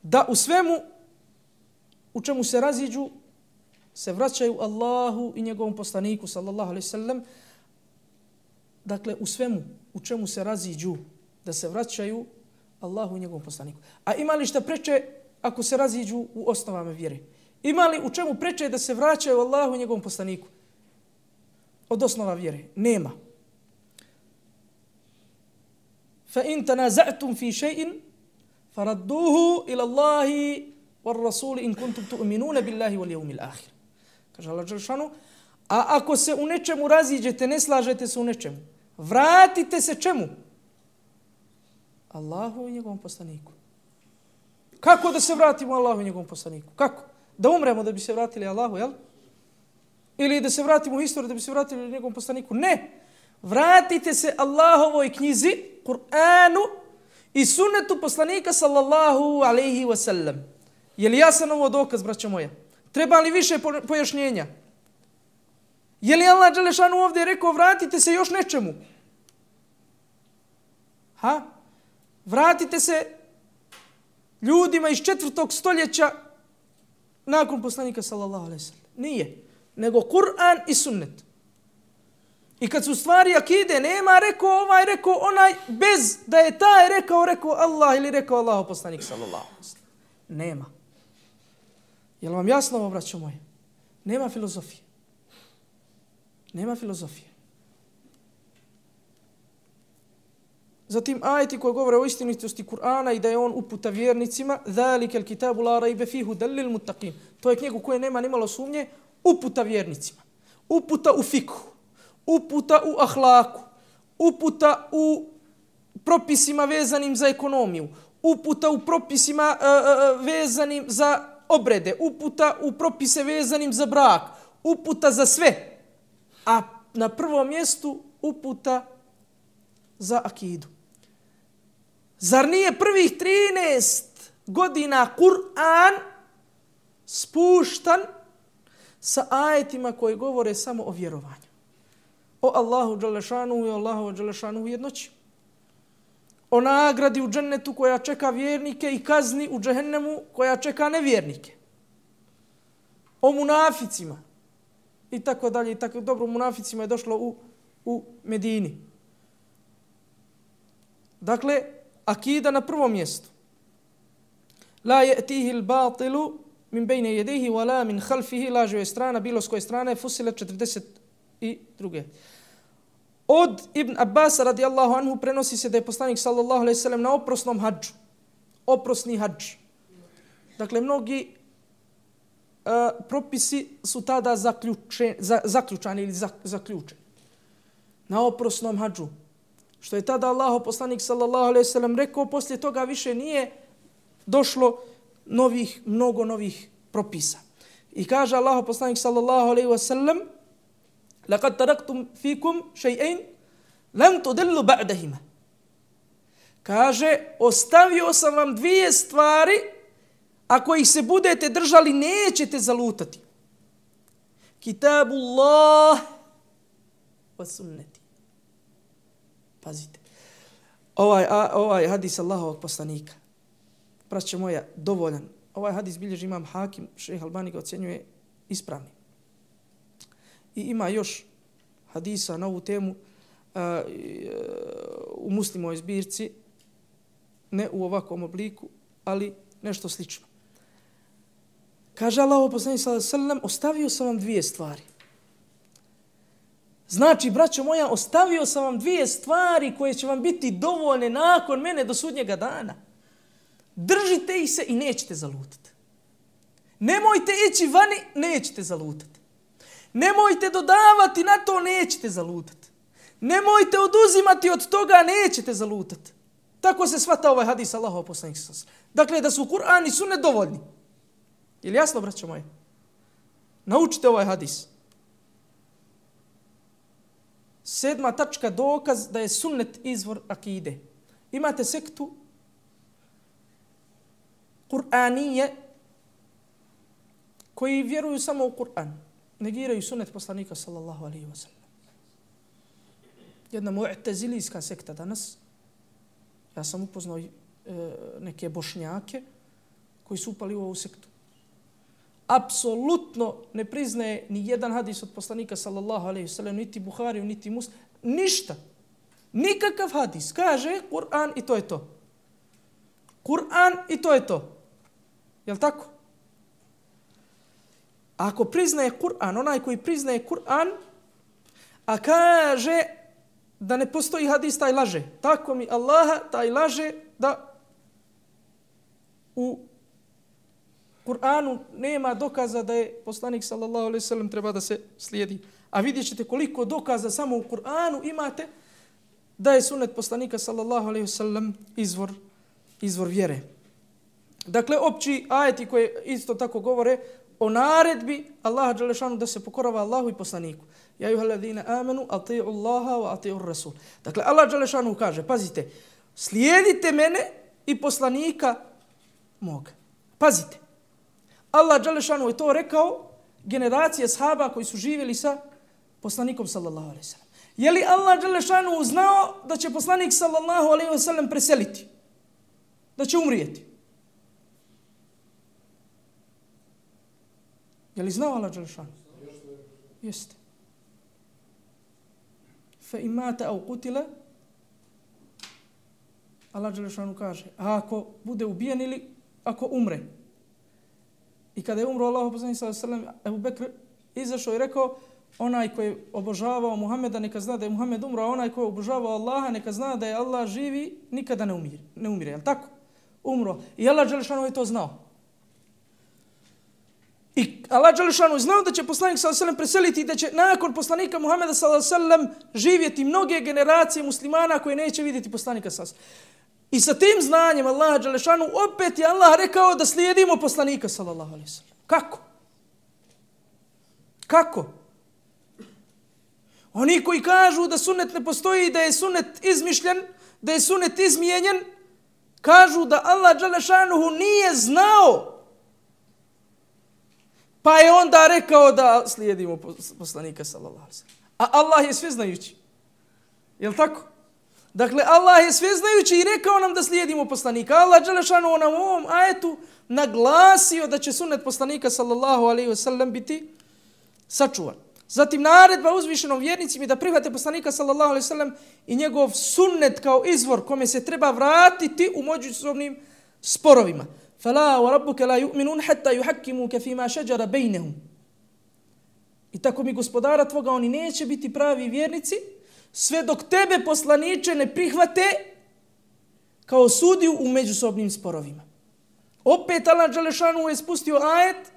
da u svemu u čemu se raziđu se vraćaju Allahu i njegovom poslaniku sallallahu alejhi ve sellem. Dakle, u svemu u čemu se raziđu da se vraćaju Allahu i njegovom poslaniku. A ima li šta preče ako se raziđu u osnovama vjere? Ima li u čemu preče da se vraćaju Allahu i njegovom poslaniku? Od osnova vjere? Nema. Fa in tanaza'tum fi shay'in faradduhu ila Allahi war rasul in kuntum tu'minuna billahi wal yawmil akhir. Kaže Allah dželle šanu, a ako se u nečemu raziđete, ne slažete se u nečemu, vratite se čemu? Allahu i njegovom poslaniku. Kako da se vratimo Allahu i njegovom poslaniku? Kako? Da umremo da bi se vratili Allahu, jel? Ili da se vratimo u historiju da bi se vratili njegovom poslaniku? Ne. Vratite se Allahovoj knjizi, Kur'anu i sunnetu poslanika sallallahu alejhi ve sellem. Je li jasan ovo dokaz, braćo moja? Treba li više pojašnjenja? Je li Allah dželle šanu ovdje rekao vratite se još nečemu? Ha? Vratite se ljudima iz četvrtog stoljeća nakon poslanika sallallahu alejhi ve sellem. Nije. Nego Kur'an i sunnet. I kad su stvari akide, nema rekao ovaj, rekao onaj, bez da je taj rekao, rekao Allah ili rekao Allah poslanik sallallahu alejhi ve sellem. Nema. Je li vam jasno ovo, braćo moje? Nema filozofije. Nema filozofije. Zatim ajeti koji govore o istinitosti Kur'ana i da je on uputa vjernicima, ذَلِكَ الْكِتَابُ لَا رَيْبَ فِيهُ هُدًى لِلْمُتَّقِينَ. To je knjigu koje nema nimalo sumnje, uputa vjernicima. Uputa u fikhu, uputa u ahlaku, uputa u propisima vezanim za ekonomiju, uputa u propisima uh, uh, vezanim za obrede, uputa u propise vezanim za brak, uputa za sve. A na prvom mjestu uputa za akidu. Zar nije prvih trinaest godina Kur'an spuštan sa ajetima koji govore samo o vjerovanju? o Allahu dželešanu i Allahu dželešanu jednoći. O nagradi u džennetu koja čeka vjernike i kazni u džehennemu koja čeka nevjernike. O munaficima i tako dalje i tako dobro munaficima je došlo u u Medini. Dakle, akida na prvom mjestu. La ya'tihi al-batilu min bayni yadayhi wala min khalfihi, lažu je strana bilo s koje strane, Fusilet četrdeset dva. Od Ibn Abbas radijallahu anhu prenosi se da je poslanik sallallahu alejhi ve sellem na oprosnom hadžu. Oprosni hadž. Dakle, mnogi uh, propisi su tada zaključeni, za, zaključani ili za, zaključeni. Na oprosnom hadžu. Što je tada Allahov poslanik sallallahu alejhi ve sellem rekao, poslije toga više nije došlo novih, mnogo novih propisa. I kaže Allahov poslanik sallallahu alejhi ve sellem: "Laqad taraktum fikum shay'ain lam tudillu ba'dahuma." Kaže, ostavio sam vam dvije stvari, ako ih se budete držali, nećete zalutati. Kitabullah wa sunnati. Pazite. Ovaj, a, ovaj hadis Allahovog poslanika, braćo moja, dovoljan. Ovaj hadis bilježi imam Hakim, šejh Albani ga ocjenjuje ispravni. I ima još hadisa na ovu temu uh, u Muslimovoj zbirci, ne u ovakvom obliku, ali nešto slično. Kaže Allahov poslanik sallallahu alejhi ve sellem: ostavio sam vam dvije stvari. Znači, braćo moja, ostavio sam vam dvije stvari koje će vam biti dovoljne nakon mene do sudnjega dana. Držite ih se i nećete zalutati. Nemojte ići vani, nećete zalutati. Nemojte dodavati na to, nećete zalutati. Nemojte oduzimati od toga, nećete zalutati. Tako se shvata ovaj hadis Allahov poslanik sallallahu alejhi ve sellem. Dakle, da su Kur'an i sunnet dovoljni. Je li jasno, braćo moje? Naučite ovaj hadis. Sedma tačka, dokaz da je sunnet izvor akide. Imate sektu Kur'anije koji vjeruju samo u Kur'an. Negiraju sunnet poslanika sallallahu alejhi ve sellem. Jedna mu'tazilijska sekta danas. Ja sam upoznao e, neke bošnjake koji su upali u ovu sektu. Apsolutno ne priznaje ni jedan hadis od poslanika sallallahu alejhi ve sellem, niti Buhariju, niti Muslim, ništa. Nikakav hadis. Kaže Kur'an i to je to. Kur'an i to je to. Jel' tako? Ako priznaje Kur'an, onaj koji priznaje Kur'an, a kaže da ne postoji hadis, taj laže. Tako mi Allaha, taj laže da u Kur'anu nema dokaza da je poslanik sallallahu alejhi ve sellem treba da se slijedi. A vidjet ćete koliko dokaza samo u Kur'anu imate da je sunnet poslanika sallallahu alejhi ve sellem izvor, izvor vjere. Dakle, opći ajeti koje isto tako govore o naredbi Allaha dželle šanu da se pokorava Allahu i poslaniku. Ja ayyuhalladhina amanu ati'u Allaha wa ati'u Rasul. Dakle, Allah dželle šanu kaže, pazite, slijedite mene i poslanika moga. Pazite. Allah dželle šanu je to rekao generacije sahaba koji su živjeli sa poslanikom sallallahu alejhi ve sellem. Je li Allah dželle šanu znao da će poslanik sallallahu alejhi ve sellem preseliti? Da će umrijeti? Je li znao Allah dželle šanu? Jeste. Fa imata au qutila, Allah dželle šanu kaže, a ako bude ubijen ili ako umre. I kada je umro Allahov poslanik sallallahu alejhi ve sellem, Ebu Bekr izašao i rekao, onaj koji je obožavao Muhameda neka zna da je Muhammed umro, a onaj koji je obožavao Allaha neka zna da je Allah živi, nikada ne umire. Ne umire, jel tako? Umro. I Allah dželle šanu je to znao. I Allah dželle šanu je znao da će poslanik sallallahu alejhi ve sellem preseliti i da će nakon poslanika Muhameda sallallahu alejhi ve sellem živjeti mnoge generacije muslimana koji neće vidjeti poslanika sallallahu alejhi ve sellem. I sa tim znanjem Allaha dželle šanu opet je Allah rekao da slijedimo poslanika sallallahu alejhi ve sellem. Kako? Kako? Oni koji kažu da sunnet ne postoji, da je sunnet izmišljen, da je sunnet izmijenjen, kažu da Allah dželle šanuhu nije znao. Pa je onda rekao da slijedimo poslanika sallallahu alejhi ve sellem. A Allah je sveznajući. Jel tako? Dakle, Allah je sveznajući i rekao nam da slijedimo poslanika. Allah dželešanu nam u ovom ajetu naglasio da će sunnet poslanika sallallahu alejhi ve sellem biti sačuvan. Zatim naredba uzvišenom vjernicima da prihvate poslanika sallallahu alejhi ve sellem i njegov sunnet kao izvor kome se treba vratiti u međusobnim sporovima. Fala wa rabbuka la yu'minun hatta yuhakkimuka fima shajara bainahum. I tako mi gospodara tvoga, oni neće biti pravi vjernici sve dok tebe poslaniče ne prihvate kao sudiju u međusobnim sporovima. Opet Allah dželešanu je spustio ajet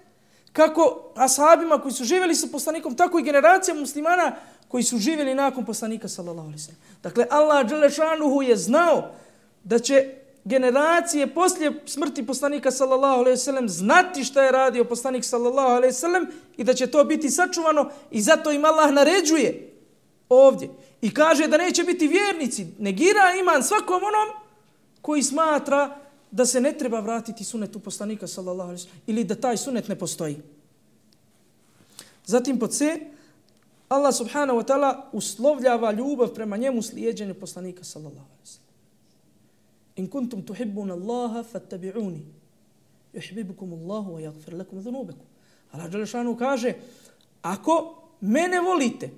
kako ashabima koji su živjeli sa poslanikom, tako i generacijama muslimana koji su živjeli nakon poslanika sallallahu alejhi ve sellem. Dakle, Allah dželešanu je znao da će generacije poslije smrti poslanika sallallahu alejhi ve sellem znati šta je radio poslanik sallallahu alejhi ve sellem i da će to biti sačuvano i zato im Allah naređuje ovdje i kaže da neće biti vjernici, negira iman svakom onom koji smatra da se ne treba vratiti sunnetu poslanika sallallahu alejhi ve sellem ili da taj sunnet ne postoji. Zatim pod C, Allah subhanahu wa ta'ala uslovljava ljubav prema njemu slijeđenju poslanika sallallahu alejhi ve sellem. In kuntum tuhibbuna Allaha fattabi'uni yuhibbukum Allahu wa yaghfir lakum dhunubakum. Allah dželešanu kaže, ako mene volite,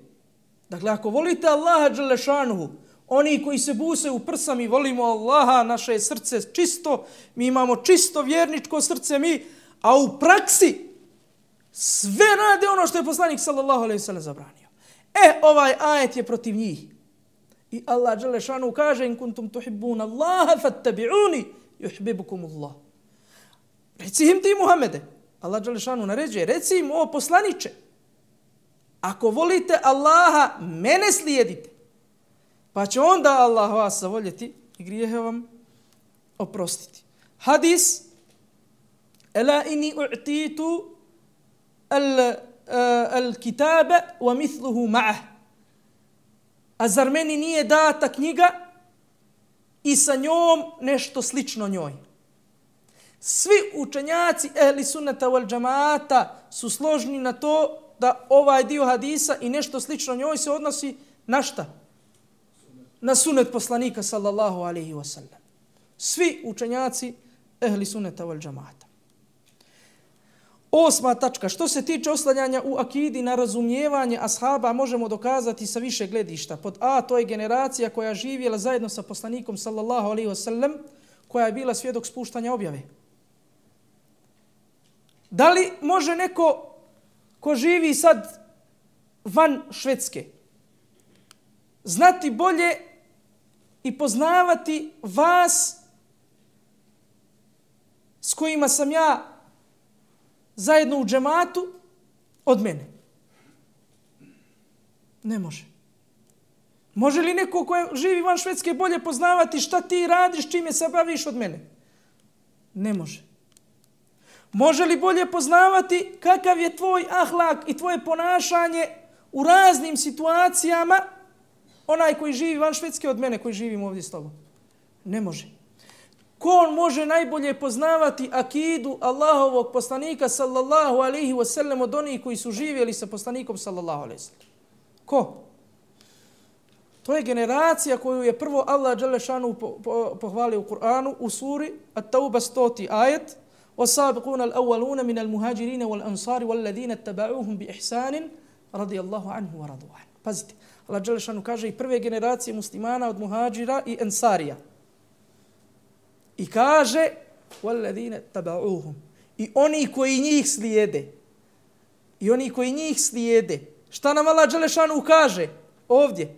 dakle ako volite Allaha dželešanu, oni koji se busaju u prsa, mi volimo Allaha, naše je srce čisto, mi imamo čisto vjerničko srce mi, a u praksi sve rade ono što je poslanik sallallahu alejhi ve sellem zabranio. E, ovaj ajet je protiv njih. I Allah dželešanu kaže, in kuntum tuhibbuna Allaha fattabi'uni yuhibbukum Allah. Reci im ti Muhammede, Allah dželešanu naređuje, reci im o poslaniče, ako volite Allaha, mene slijedite, pa će onda Allah vas zavoljeti i grijehe vam oprostiti. Hadis, ela inni u'titu al, al kitabe wa mithluhu ma'ah. A zar meni nije data knjiga i sa njom nešto slično njoj? Svi učenjaci ehli sunnata wal džamaata su složni na to da ovaj dio hadisa i nešto slično njoj se odnosi na šta? Na sunnet poslanika sallallahu alejhi ve sellem. Svi učenjaci ehli sunnata wal džamaata. Osma tačka. Što se tiče oslanjanja u akidi na razumijevanje ashaba, možemo dokazati sa više gledišta. Pod A, to je generacija koja živjela zajedno sa poslanikom sallallahu alejhi ve sellem, koja je bila svjedok spuštanja objave. Da li može neko ko živi sad van Švedske znati bolje i poznavati vas s kojima sam ja zajedno u džematu od mene? Ne može. Može li neko ko živi van Švedske bolje poznavati šta ti radiš, čime se baviš od mene? Ne može. Može li bolje poznavati kakav je tvoj ahlak i tvoje ponašanje u raznim situacijama onaj koji živi van Švedske od mene koji živim ovdje s tobom? Ne može. Ko on može najbolje poznavati akidu Allahovog poslanika sallallahu alejhi ve sellem od onih koji su živjeli sa poslanikom sallallahu alejhi ve sellem? Ko? To je generacija koju je prvo Allah dželešanu pohvalio u Kur'anu u suri At-Tauba stoti ajet: وَسَابِقُونَ الْأَوَّلُونَ مِنَ الْمُهَاجِرِينَ وَالْأَنصَارِ وَالَّذِينَ اتَّبَعُوهُمْ بِإِحْسَانٍ رَضِيَ اللَّهُ عَنْهُ وَرَضُوا عَنْهُ. Pazite, Allah dželešanu kaže i prve generacije muslimana od muhađira i ensarija. I kaže وَالَّذِينَ اتَّبَعُوهُمْ. I oni koji njih slijede. I oni koji njih slijede. Šta nam Allah dželešanu kaže ovdje?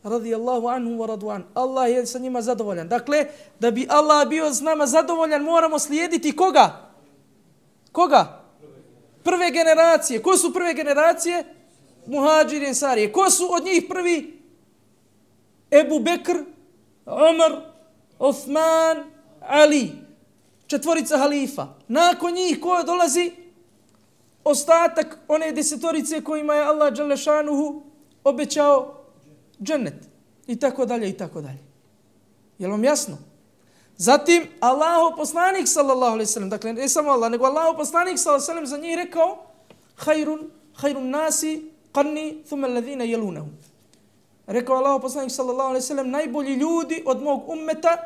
Radijallahu anhu wa radu'an. Allah je sa njima zadovoljan. Dakle, da bi Allah bio s nama zadovoljan, moramo slijediti koga? Koga? Prve generacije. Ko su prve generacije? Muhađiri i ensarije. Ko su od njih prvi? Ebu Bekr, Umar, Osman, Ali. Četvorica halifa. Nakon njih ko dolazi? Ostatak one desetorice kojima je Allah dželešanuhu obećao džennet i tako dalje i tako dalje. Je li vam jasno? Zatim Allahov poslanik sallallahu alejhi ve sellem, dakle ne samo Allah, nego Allahov poslanik sallallahu alejhi ve sellem za njih rekao: "Khairun khairun nasi qarni thumma alladhina yalunahum. Rekao Allahu poslanik sallallahu alejhi ve sellem, najbolji ljudi od mog ummeta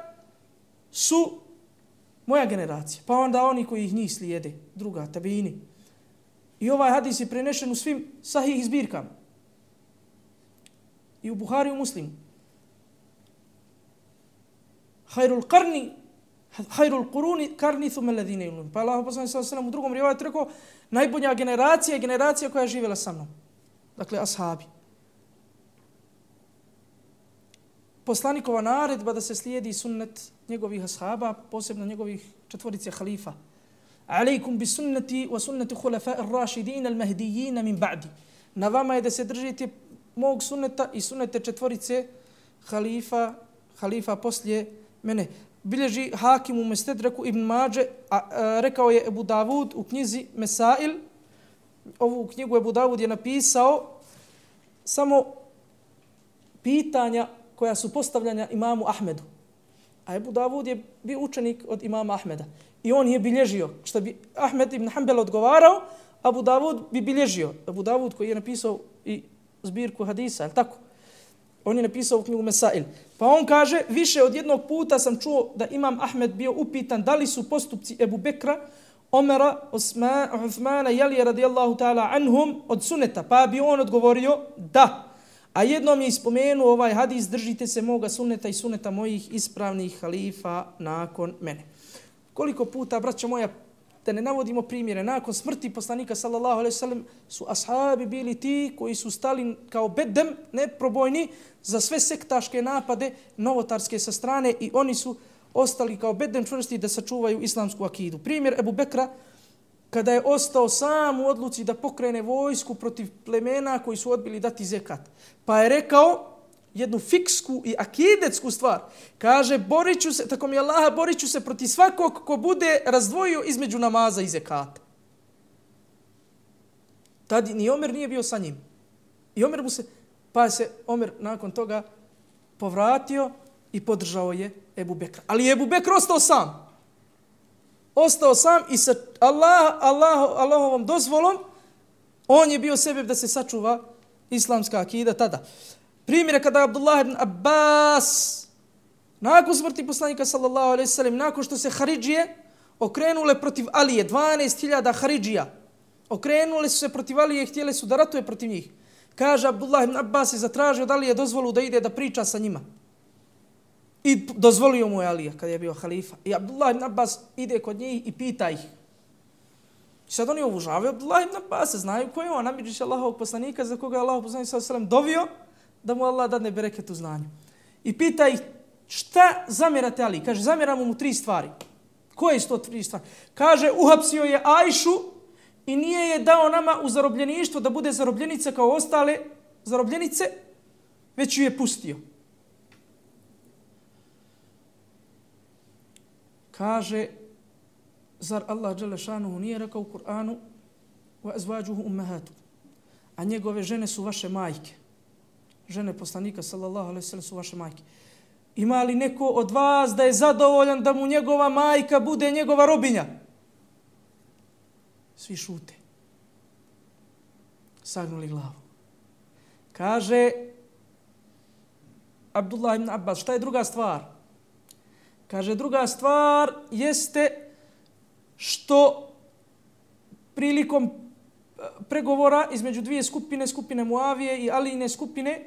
su moja generacija, pa onda oni koji ih njih slijede, druga, tabiini. I ovaj hadis je prenešen u svim sahih zbirkama. I u Buhari i u Muslimu. Hayrul qarni, hayrul quruni qarni thumma alladhina yalunahum. Pa Allahu poslanik sallallahu alejhi ve sellem u drugom rivajetu rekao, najbolja generacija je generacija koja je živjela sa mnom. Dakle, ashabi. Poslanikova naredba da se slijedi sunnet njegovih ashaba, posebno njegovih četvorice halifa. Alejkum bi sunnati wa sunnati khulafa'i ar-rashidin al-mahdiyyin min ba'di. Na vama je da se držite mog sunneta i sunnete četvorice halifa, halifa poslije mene. Bilježi Hakim u Mestedraku Ibn Mađe, a, a, rekao je Ebu Davud u knjizi Mesail. Ovu knjigu Ebu Davud je napisao samo pitanja koja su postavljanja imamu Ahmedu. A Ebu Davud je bio učenik od imama Ahmeda. I on je bilježio. Što bi Ahmed ibn Hanbel odgovarao, Abu Davud bi bilježio. Abu Davud koji je napisao i zbirku hadisa, je li tako? On je napisao u knjigu Mesail. Pa on kaže, više od jednog puta sam čuo da imam Ahmed bio upitan da li su postupci Ebu Bekra, Omera, Osman, Uthmana i Alija radijallahu ta'ala anhum od suneta. Pa bi on odgovorio da. A jednom je ispomenuo ovaj hadis, držite se moga suneta i suneta mojih ispravnih halifa nakon mene. Koliko puta, braća moja, da ne navodimo primjere, nakon smrti poslanika sallallahu alejhi ve sellem su ashabi bili ti koji su stali kao bedem, neprobojni, za sve sektaške napade novotarske sa strane i oni su ostali kao bedem čvrsti da sačuvaju islamsku akidu. Primjer Ebu Bekra, kada je ostao sam u odluci da pokrene vojsku protiv plemena koji su odbili dati zekat. Pa je rekao jednu fiksku i akidetsku stvar. Kaže, borit ću se, tako mi Allah, borit ću se protiv svakog ko bude razdvojio između namaza i zekata. Tad ni Omer nije bio sa njim. I Omer mu se, pa se Omer nakon toga povratio i podržao je Ebu Bekra. Ali je Ebu Bekr ostao sam. Ostao sam i sa Allah, Allah, Allahovom dozvolom on je bio sebeb da se sačuva islamska akida tada. Primjer kada Abdullah ibn Abbas nakon smrti poslanika sallallahu alejhi ve sellem, nakon što se Haridžije okrenule protiv Alije, dvanaest hiljada Haridžija, okrenule su se protiv Alije i htjeli su da ratuje protiv njih. Kaže Abdullah ibn Abbas je zatražio da Alije dozvolu da ide da priča sa njima. I dozvolio mu je Alija kada je bio halifa. I Abdullah ibn Abbas ide kod njih i pita ih. I sad oni obužavaju Abdullah ibn Abbas, znaju ko je on, namidžiš Allahovog poslanika za koga je Allahov poslanik sallallahu alejhi ve sellem dovio da mu Allah dadne bereket u znanju. I pita ih šta zamjerate Ali? Kaže, zamjeramo mu tri stvari. Koje su to tri stvari? Kaže, uhapsio je Ajšu i nije je dao nama u zarobljeništvo da bude zarobljenica kao ostale zarobljenice, već ju je pustio. Kaže, zar Allah dželle šanuhu nije rekao u Kur'anu wa azwajuhu ummahatu, a njegove žene su vaše majke. Žene poslanika sallallahu alejhi ve sellem su vaše majke. Ima li neko od vas da je zadovoljan da mu njegova majka bude njegova robinja? Svi šute. Sagnuli glavu. Kaže Abdullah ibn Abbas, šta je druga stvar? Kaže, druga stvar jeste što prilikom pregovora između dvije skupine, skupine Muavije i Alijine skupine,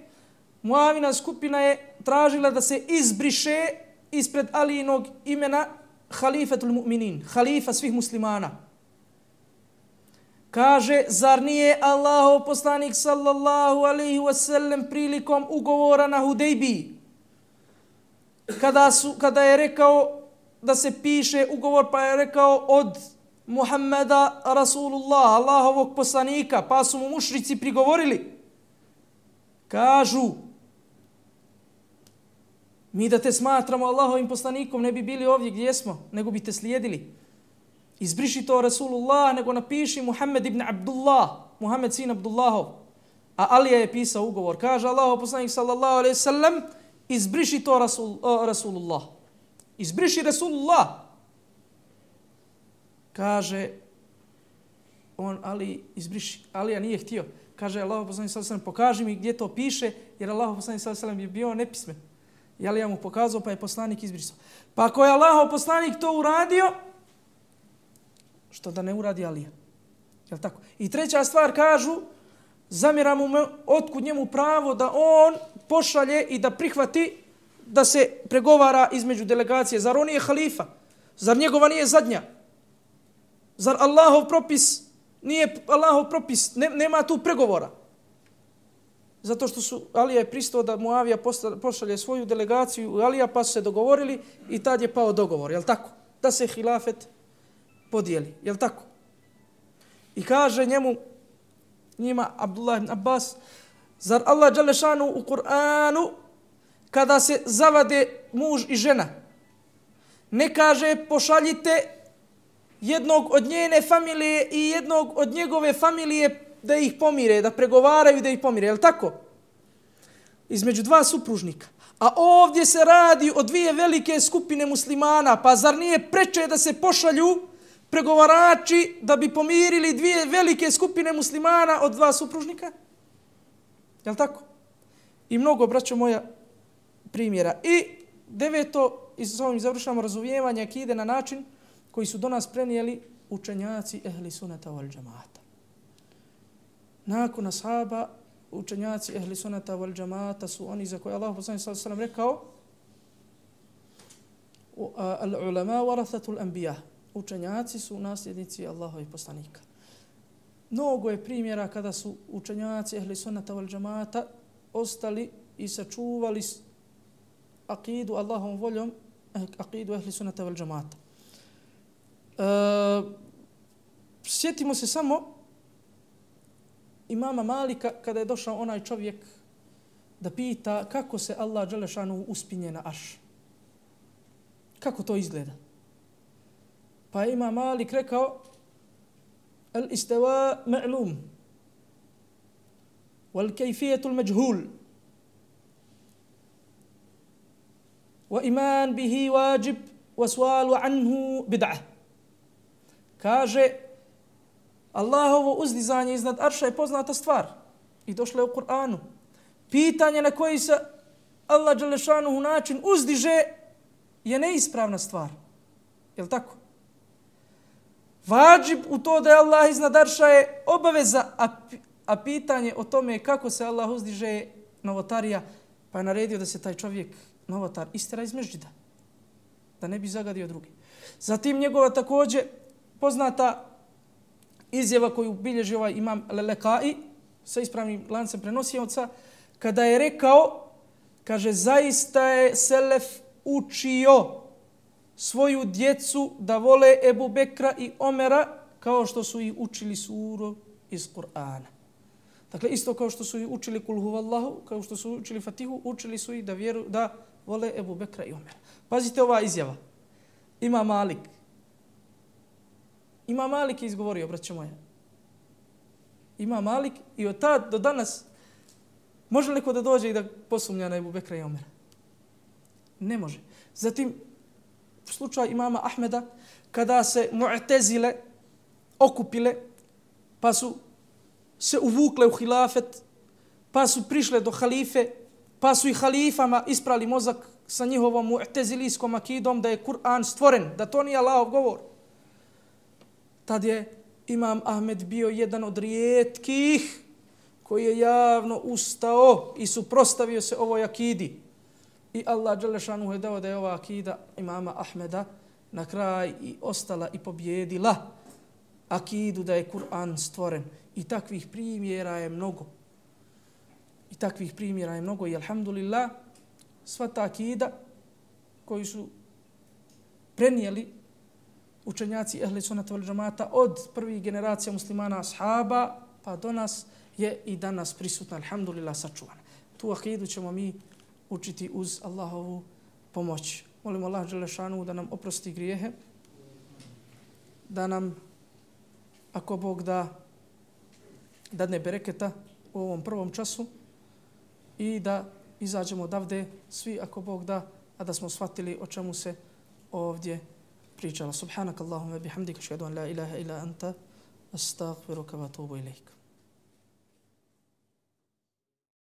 Muavina skupina je tražila da se izbriše ispred Alijinog imena Halifatul Mu'minin, halifa svih muslimana. Kaže, zar nije Allahov poslanik sallallahu alejhi ve sellem prilikom ugovora na Hudejbiji, kada, su, kada je rekao da se piše ugovor, pa je rekao od Muhammeda Rasulullah, Allahovog poslanika, pa su mu mušrici prigovorili. Kažu, mi da te smatramo Allahovim poslanikom ne bi bili ovdje gdje smo, nego bi te slijedili. Izbriši to Rasulullah, nego napiši Muhammed ibn Abdullah, Muhammed sin Abdullahov. A Alija je pisao ugovor. Kaže Allahov poslanik sallallahu alejhi ve sellem, izbriši to Rasul, uh, Rasulullah. Izbriši Rasulullah. Kaže, on Ali izbriši. Alija nije htio. Kaže Allahu poslanik sallallahu alejhi ve sellem, pokaži mi gdje to piše, jer Allahu poslanik sallallahu alejhi ve sellem je bio nepismen. I Alija mu pokazao, pa je poslanik izbrisao. Pa ako je Allahov poslanik to uradio, što da ne uradi Alija? Jel tako? I treća stvar kažu, zamjera mu otkud njemu pravo da on pošalje i da prihvati da se pregovara između delegacije. Zar on nije halifa? Zar njegova nije zadnja? Zar Allahov propis nije Allahov propis? Ne, nema tu pregovora. Zato što su Alija je pristao da Muavija pošalje svoju delegaciju u Alija, pa su se dogovorili i tad je pao dogovor. Jel tako? Da se hilafet podijeli. Jel tako? I kaže njemu, njima Abdullah ibn Abbas, zar Allah dželešanu u Kur'anu kada se zavade muž i žena ne kaže pošaljite jednog od njene familije i jednog od njegove familije da ih pomire, da pregovaraju da ih pomire, je li tako? Između dva supružnika. A ovdje se radi o dvije velike skupine muslimana, pa zar nije preče da se pošalju pregovarači da bi pomirili dvije velike skupine muslimana od dva supružnika? Je li tako? I mnogo, braćo moja, primjera. I deveto, i s ovim završamo razumijevanje akide na način koji su do nas prenijeli učenjaci ehli sunata wal džamata. Nakon ashaba, učenjaci ehli sunata wal džamata su oni za koje Allah poslanik sallallahu alejhi ve sellem rekao al ulama warathatul anbiya. Učenjaci su nasljednici Allahovih poslanika. Mnogo je primjera kada su učenjaci ehli sunnata wal džamata ostali i sačuvali akidu Allahovom voljom, akidu ehli sunnata wal džamata. E, sjetimo se samo imama Malika kada je došao onaj čovjek da pita kako se Allah dželešanu uspinje na arš. Kako to izgleda? Pa je imam Malik rekao al-istawa ma'lum wal-kayfiyatu al-majhul wa iman bihi wajib wa su'alu anhu bid'ah. Kaže Allahovo uzdizanje iznad arša je poznata stvar i došlo je u Kur'anu. Pitanje na koji se Allah dželešanuhu način uzdiže je neispravna stvar. Je li tako? Vađib u to da je Allah iznad arša je obaveza, a, a pitanje o tome kako se Allah uzdiže je novotarija, pa je naredio da se taj čovjek, novotar, istera iz mežđida, da ne bi zagadio drugi. Zatim njegova također poznata izjava koju bilježi ovaj imam Lelekai sa ispravnim lancem prenosioca, kada je rekao, kaže, zaista je Selef učio svoju djecu da vole Ebu Bekra i Omera kao što su ih učili suru iz Kur'ana. Dakle, isto kao što su ih učili Kul huvallahu, kao što su učili Fatihu, učili su ih da vjeru, da vole Ebu Bekra i Omera. Pazite ova izjava. Ima Malik. Ima Malik je izgovorio, braćo moja. Ima Malik i od tad do danas može li ko da dođe i da posumnja na Ebu Bekra i Omera? Ne može. Zatim, slučaj imama Ahmeda, kada se Mu'tezile okupile, pa su se uvukle u hilafet, pa su prišle do halife, pa su i halifama isprali mozak sa njihovom mu'tezilijskom akidom da je Kur'an stvoren, da to nije Allahov govor. Tad je imam Ahmed bio jedan od rijetkih koji je javno ustao i suprostavio se ovoj akidi. I Allah dželešanu je dao da je ova akida imama Ahmeda na kraj i ostala i pobjedila akidu da je Kur'an stvoren. I takvih primjera je mnogo. I takvih primjera je mnogo i alhamdulillah sva ta akida koji su prenijeli učenjaci ehli sunnata wal džamata od prvih generacija muslimana ashaba pa do nas je i danas prisutna, alhamdulillah, sačuvana. Tu akidu ćemo mi učiti uz Allahovu pomoć. Molimo Allah dželešanu da nam oprosti grijehe, da nam, ako Bog da, dadne bereketa u ovom prvom času i da izađemo odavde svi, ako Bog da, a da smo shvatili o čemu se ovdje pričalo. Subhanak Allahumma bihamdika, ashhadu an la ilaha illa anta, Astaghfiruka wa atubu ilaik.